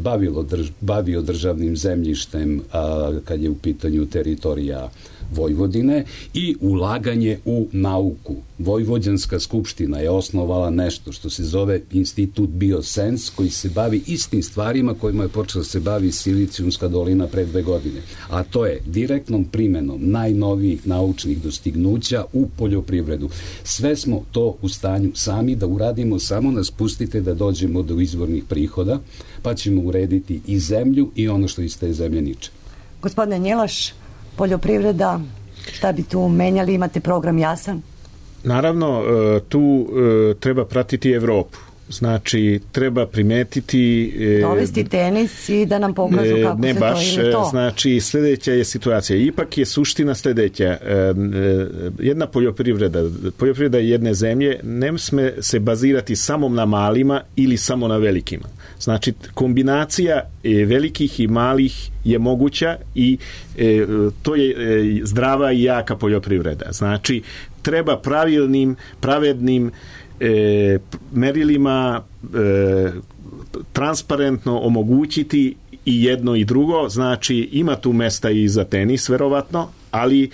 bavio državnim zemljištem kad je u pitanju teritorija Vojvodine i ulaganje u nauku. Vojvođanska skupština je osnovala nešto što se zove Institut Biosens, koji se bavi istim stvarima kojima je počela se bavi Silicijumska dolina pre 2 godine. A to je direktnom primenom najnovijih naučnih dostignuća u poljoprivredu. Sve smo to u stanju sami da uradimo, samo nas pustite da dođemo do izvornih prihoda, pa ćemo urediti i zemlju i ono što iz te zemlje niče. Gospodine Njelaš, poljoprivreda, šta bi tu menjali, imate program jasan? Naravno, tu treba pratiti Evropu. Znači, treba primetiti... Dovesti tenis i da nam pokažu kako ne se baš, to ili to. Znači, sljedeća je situacija. Ipak je suština sljedeća. Jedna poljoprivreda jedne zemlje ne sme se bazirati samo na malima ili samo na velikima. Znači, kombinacija velikih i malih je moguća i to je zdrava i jaka poljoprivreda. Znači, treba pravednim merilima transparentno omogućiti i jedno i drugo, znači ima tu mesta i za tenis verovatno, ali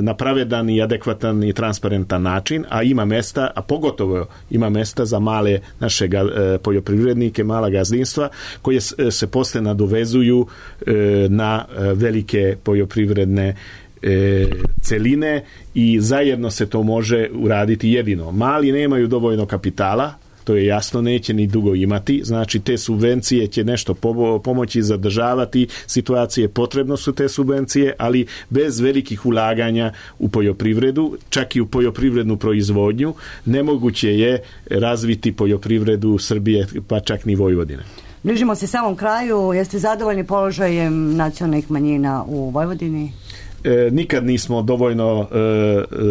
na pravedan i adekvatan i transparentan način, a ima mesta, a pogotovo ima mesta za male naše poljoprivrednike, mala gazdinstva koje se posle nadovezuju na velike poljoprivredne celine i zajedno se to može uraditi jedino. Mali nemaju dovoljno kapitala, to je jasno, neće ni dugo imati, znači te subvencije će nešto pomoći zadržavati situacije, potrebno su te subvencije, ali bez velikih ulaganja u poljoprivredu, čak i u poljoprivrednu proizvodnju, nemoguće je razviti poljoprivredu Srbije, pa čak ni Vojvodine. Bližimo se samom kraju, jeste zadovoljni položajem nacionalnih manjina u Vojvodini? Nikad nismo dovoljno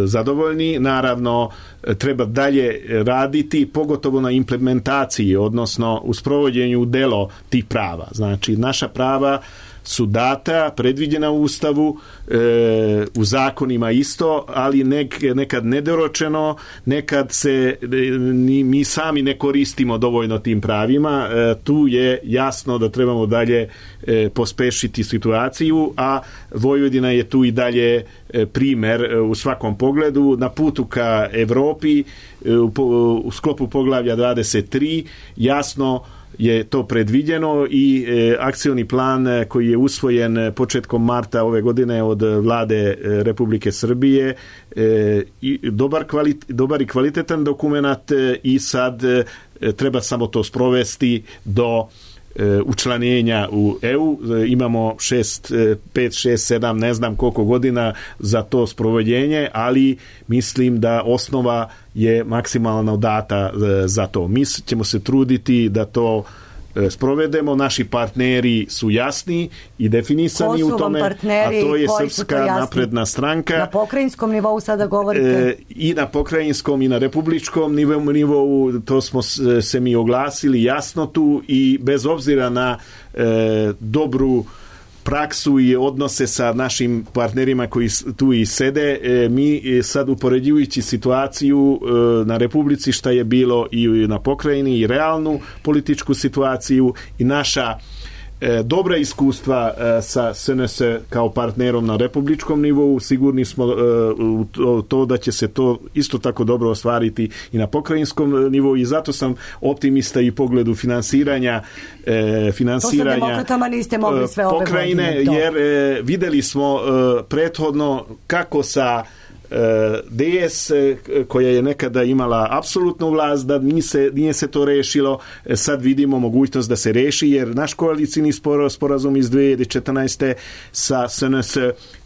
zadovoljni, naravno treba dalje raditi, pogotovo na implementaciji, odnosno u sprovođenju u delo tih prava. Znači, naša prava su data, predviđena u Ustavu, u zakonima isto, ali nekad nedoročeno, nekad se mi sami ne koristimo dovoljno tim pravima. Tu je jasno da trebamo dalje pospešiti situaciju, a Vojvodina je tu i dalje primer u svakom pogledu. Na putu ka Evropi u sklopu poglavlja 23 jasno je to predviđeno i akcioni plan koji je usvojen početkom marta ove godine od vlade Republike Srbije dobar i kvalitetan dokumenat i sad treba samo to sprovesti do učlanjenja u EU. Imamo 5, 6, 7, ne znam koliko godina za to sprovođenje, ali mislim da osnova je maksimalno data za to. Mi ćemo se truditi da to sprovedemo, naši partneri su jasni i definisani u tome, a to je Srpska napredna stranka. Na pokrajinskom nivou sada govorite? I na pokrajinskom i na republičkom nivou, to smo se mi oglasili jasno tu i bez obzira na dobru praksu i odnose sa našim partnerima koji tu i sede, mi sad upoređujući situaciju na Republici šta je bilo i na pokrajini i realnu političku situaciju i naša dobra iskustva sa SNS kao partnerom na republičkom nivou, sigurni smo u to da će se to isto tako dobro ostvariti i na pokrajinskom nivou i zato sam optimista i u pogledu finansiranja niste mogli sve ove pokrajine, jer videli smo prethodno kako sa DS koja je nekada imala apsolutnu vlast, da nije se to rešilo, sad vidimo mogućnost da se reši, jer naš koalicijni sporazum iz 2014. sa SNS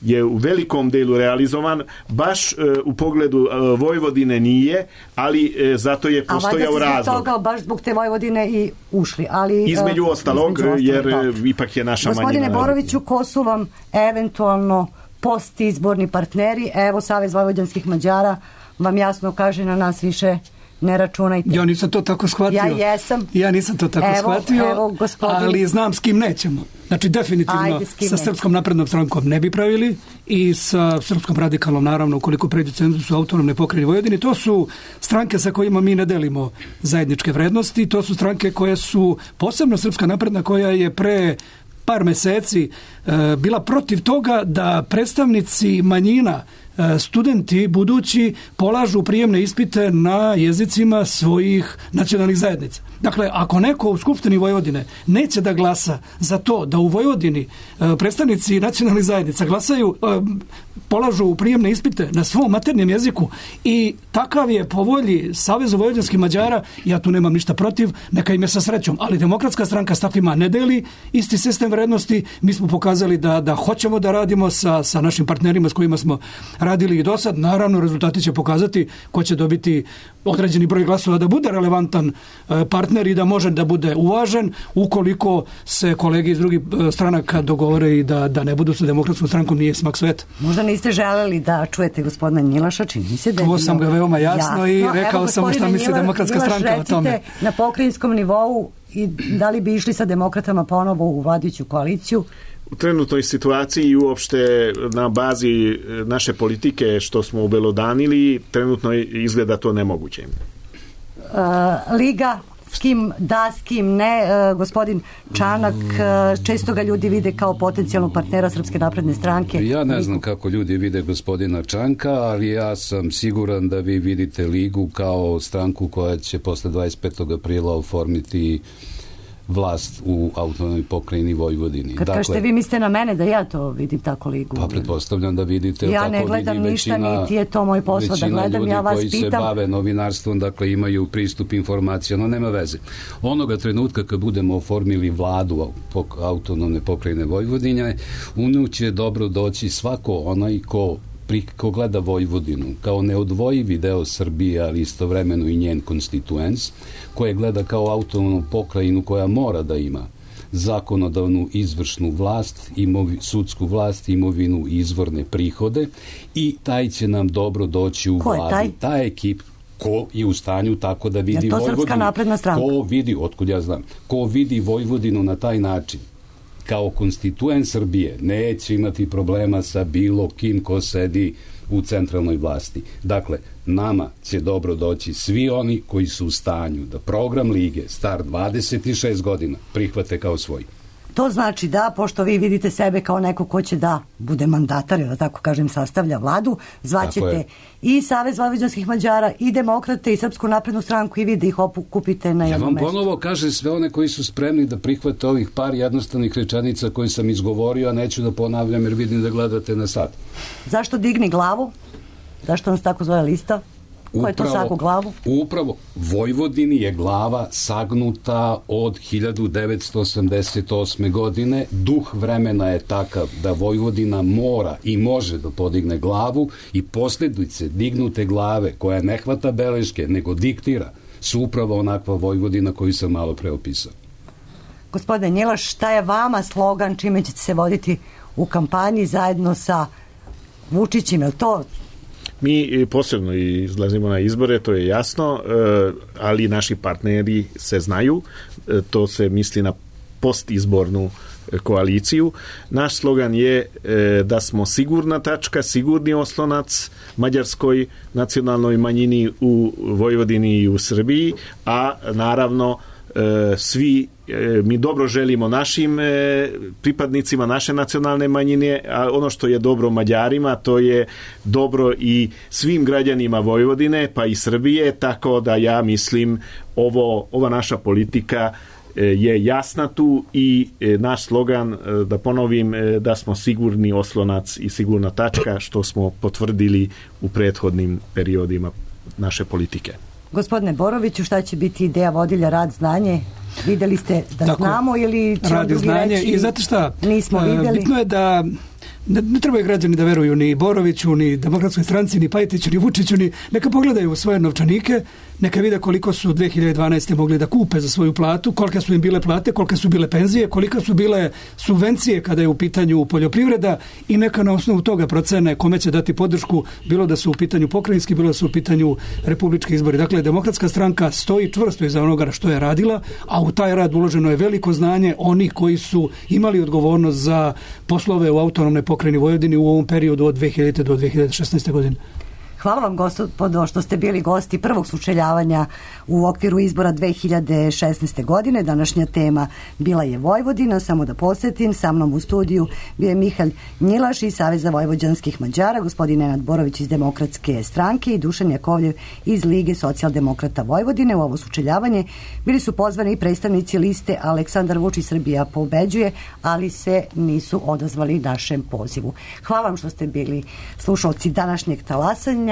je u velikom delu realizovan, baš u pogledu Vojvodine nije, ali zato je postojao razlog. Toga, baš zbog te Vojvodine i ušli. Ali, između ostalog, jer ipak je naša manjina. Gospodine Boroviću, ko su vam eventualno postizborni partneri? Evo, Savez vojvođanskih Mađara vam jasno kaže, na nas više ne računajte. Ja nisam to tako shvatio. Ja jesam. Ja nisam to tako shvatio, ali znam s kim nećemo. Znači, definitivno sa Srpskom naprednom strankom ne bi pravili i sa Srpskom radikalnom, naravno, ukoliko pređu cenzus u autonomne pokrajine Vojvodine. To su stranke sa kojima mi ne delimo zajedničke vrednosti. To su stranke koje su, posebno Srpska napredna, koja je pre par meseci bila protiv toga da predstavnici manjina, studenti budući, polažu prijemne ispite na jezicima svojih nacionalnih zajednica. Dakle, ako neko u Skupštini Vojvodine neće da glasa za to da u Vojvodini predstavnici nacionalnih zajednica polažu prijemne ispite na svom maternjem jeziku i takav je po volji Savezu vojvođanskih Mađara, ja tu nemam ništa protiv, neka im je sa srećom, ali Demokratska stranka s takvima ne deli isti sistem vrednosti. Mi smo pokazali da hoćemo da radimo sa našim partnerima s kojima smo radili i do sad. Naravno, rezultati će pokazati ko će dobiti određeni broj glasova da bude relevantan partner i da može da bude uvažen, ukoliko se kolege iz drugih stranaka dogovore i da ne budu sa Demokratskom strankom, nije smak sveta. Možda niste želeli da čujete gospodina Njilaša, čini mi se da je čuo sam ga veoma jasno i rekao sam šta misli Demokratska stranka o tome. Na pokrajinskom nivou i da li bi išli sa demokratama ponovo u vladajuću koaliciju? U trenutnoj situaciji i uopšte na bazi naše politike što smo obelodanili, trenutno izgleda to nemoguće. Liga s kim da, s kim ne. Gospodin Čanak, često ga ljudi vide kao potencijalnog partnera Srpske napredne stranke. Ja ne znam kako ljudi vide gospodina Čanka, ali ja sam siguran da vi vidite Ligu kao stranku koja će posle 25. aprila oformiti vlast u autonomnoj pokrajini Vojvodini. Kad kažete vi mislite na mene da ja to vidim tako Ligu? Pa pretpostavljam da vidite. Ja ne gledam ništa, niti je to moj posao da gledam, ja vas pitam. Većina ljudi koji se bave novinarstvom, dakle imaju pristup informacijama, nema veze. Onoga trenutka kad budemo oformili vladu autonomne pokrajine Vojvodine, u nju će dobro doći svako onaj ko gleda Vojvodinu kao neodvojivi deo Srbije, ali istovremeno i njen konstituens, koje gleda kao autonomnu pokrajinu koja mora da ima zakonodavnu izvršnu vlast, sudsku vlast, imovinu i izvorne prihode, i taj će nam dobro doći u vladi. Taj ekip ko je u stanju tako da vidi Vojvodinu. Je to Srpska napredna stranka? Ko vidi, otkud ja znam, ko vidi Vojvodinu na taj način kao konstituen Srbije, neće imati problema sa bilo kim ko sedi u centralnoj vlasti. Dakle, nama će dobro doći svi oni koji su u stanju da program Lige star 26 godina prihvate kao svoj. To znači da, pošto vi vidite sebe kao neko ko će da bude mandatar, da tako kažem, sastavlja vladu, zvaćete i Savez vojvođanskih Mađara, i Demokrate, i Srpsku naprednu stranku, i vi da ih okupite na jedno mesto. Ja vam ponovo kažem sve one koji su spremni da prihvate ovih par jednostavnih rečenica koje sam izgovorio, a neću da ponavljam jer vidim da gledate na sat. Zašto digni glavu? Zašto nas tako zove lista? Ko je to sagu glavu? Upravo, Vojvodini je glava sagnuta od 1988. godine. Duh vremena je takav da Vojvodina mora i može da podigne glavu, i posljedice dignute glave koja ne hvata beleške, nego diktira, su upravo onakva Vojvodina koju sam malo preopisao. Gospodine Njilaš, šta je vama slogan čime ćete se voditi u kampanji zajedno sa Vučićem? Je li to... Mi posebno izlazimo na izbore, to je jasno, ali naši partneri se znaju, to se misli na postizbornu koaliciju. Naš slogan je da smo sigurna tačka, sigurni oslonac mađarskoj nacionalnoj manjini u Vojvodini i u Srbiji, a naravno svi mi dobro želimo našim pripadnicima naše nacionalne manjine, a ono što je dobro Mađarima, to je dobro i svim građanima Vojvodine, pa i Srbije, tako da ja mislim ova naša politika je jasna tu, i naš slogan, da ponovim, da smo sigurni oslonac i sigurna tačka, što smo potvrdili u prethodnim periodima naše politike. Gospodine Boroviću, šta će biti ideja vodilja, rad, znanje? Videli ste da tako, znamo ili će rad i znanje reći, i znate šta, nismo videli? Bitno je da ne trebaju građani da veruju ni Boroviću, ni Demokratskoj stranci, ni Pajtiću, ni Vučiću, neka pogledaju svoje novčanike, neka vide koliko su 2012. mogli da kupe za svoju platu, kolike su im bile plate, kolike su bile penzije, kolika su bile subvencije kada je u pitanju poljoprivreda, i neka na osnovu toga procene kome će dati podršku, bilo da su u pitanju pokrajinski, bilo da su u pitanju republički izbori. Dakle, Demokratska stranka stoji čvrsto iza onoga što je radila, a u taj rad uloženo je veliko znanje onih koji su imali odgovornost za poslove u autonomnoj pokrajini Vojvodini u ovom periodu od 2000. do 2016. godine. Hvala vam, gospodo, što ste bili gosti prvog sučeljavanja u okviru izbora 2016. godine. Današnja tema bila je Vojvodina. Samo da podsjetim, sa mnom u studiju bio je Mihalj Njilaš iz Saveza vojvođanskih Mađara, gospodin Nenad Borović iz Demokratske stranke i Dušan Jakovljev iz Lige socijaldemokrata Vojvodine. U ovo sučeljavanje bili su pozvani i predstavnici liste Aleksandar Vučić Srbija pobeđuje, ali se nisu odazvali našem pozivu. Hvala vam što ste bili slušalci današnjeg talasanja.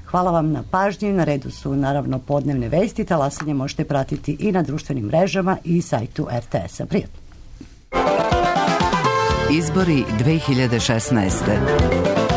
Hvala vam na pažnji. Na redu su naravno podnevne vesti. Talasanje možete pratiti i na društvenim mrežama i sajtu RTS-a. Prijatno. Izbori 2016.